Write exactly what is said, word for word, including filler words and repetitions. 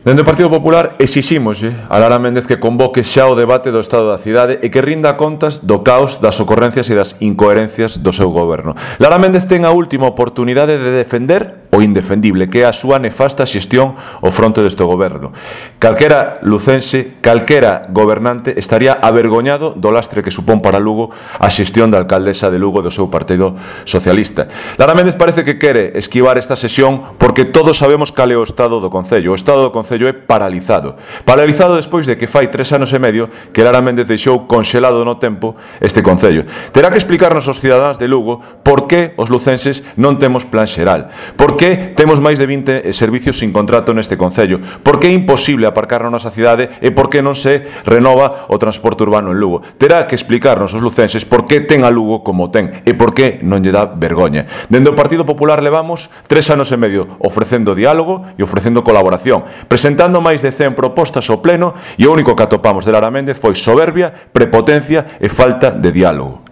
Dende o Partido Popular exixímoslle a Lara Méndez que convoque xa o debate do estado da cidade e que rinda contas do caos, das ocorrencias e das incoherencias do seu goberno. Lara Méndez ten a última oportunidade de defender o indefendible, que é a súa nefasta xestión ao fronte deste goberno. Calquera lucense, calquera gobernante estaría avergoñado do lastre que supón para Lugo a xestión da alcaldesa de Lugo do seu Partido Socialista. Lara Méndez parece que quere esquivar esta sesión porque todos sabemos cal é o estado do Concello. O estado do Concello é paralizado. Paralizado despois de que fai tres anos e medio que Lara Méndez deixou conxelado no tempo este Concello. Terá que explicarnos aos cidadáns de Lugo por que os lucenses non temos plan xeral, por que temos máis de vinte servicios sin contrato neste Concello, por que é imposible aparcar na nosa cidade e por que non se renova o transporte urbano en Lugo. Terá que explicarnos os lucenses por que ten a Lugo como ten e por que non lle dá vergoña. Dende o Partido Popular levamos tres anos e medio ofrecendo diálogo e ofrecendo colaboración, presentando máis de cen propostas ao pleno e o único que atopamos de Lara Méndez foi soberbia, prepotencia e falta de diálogo.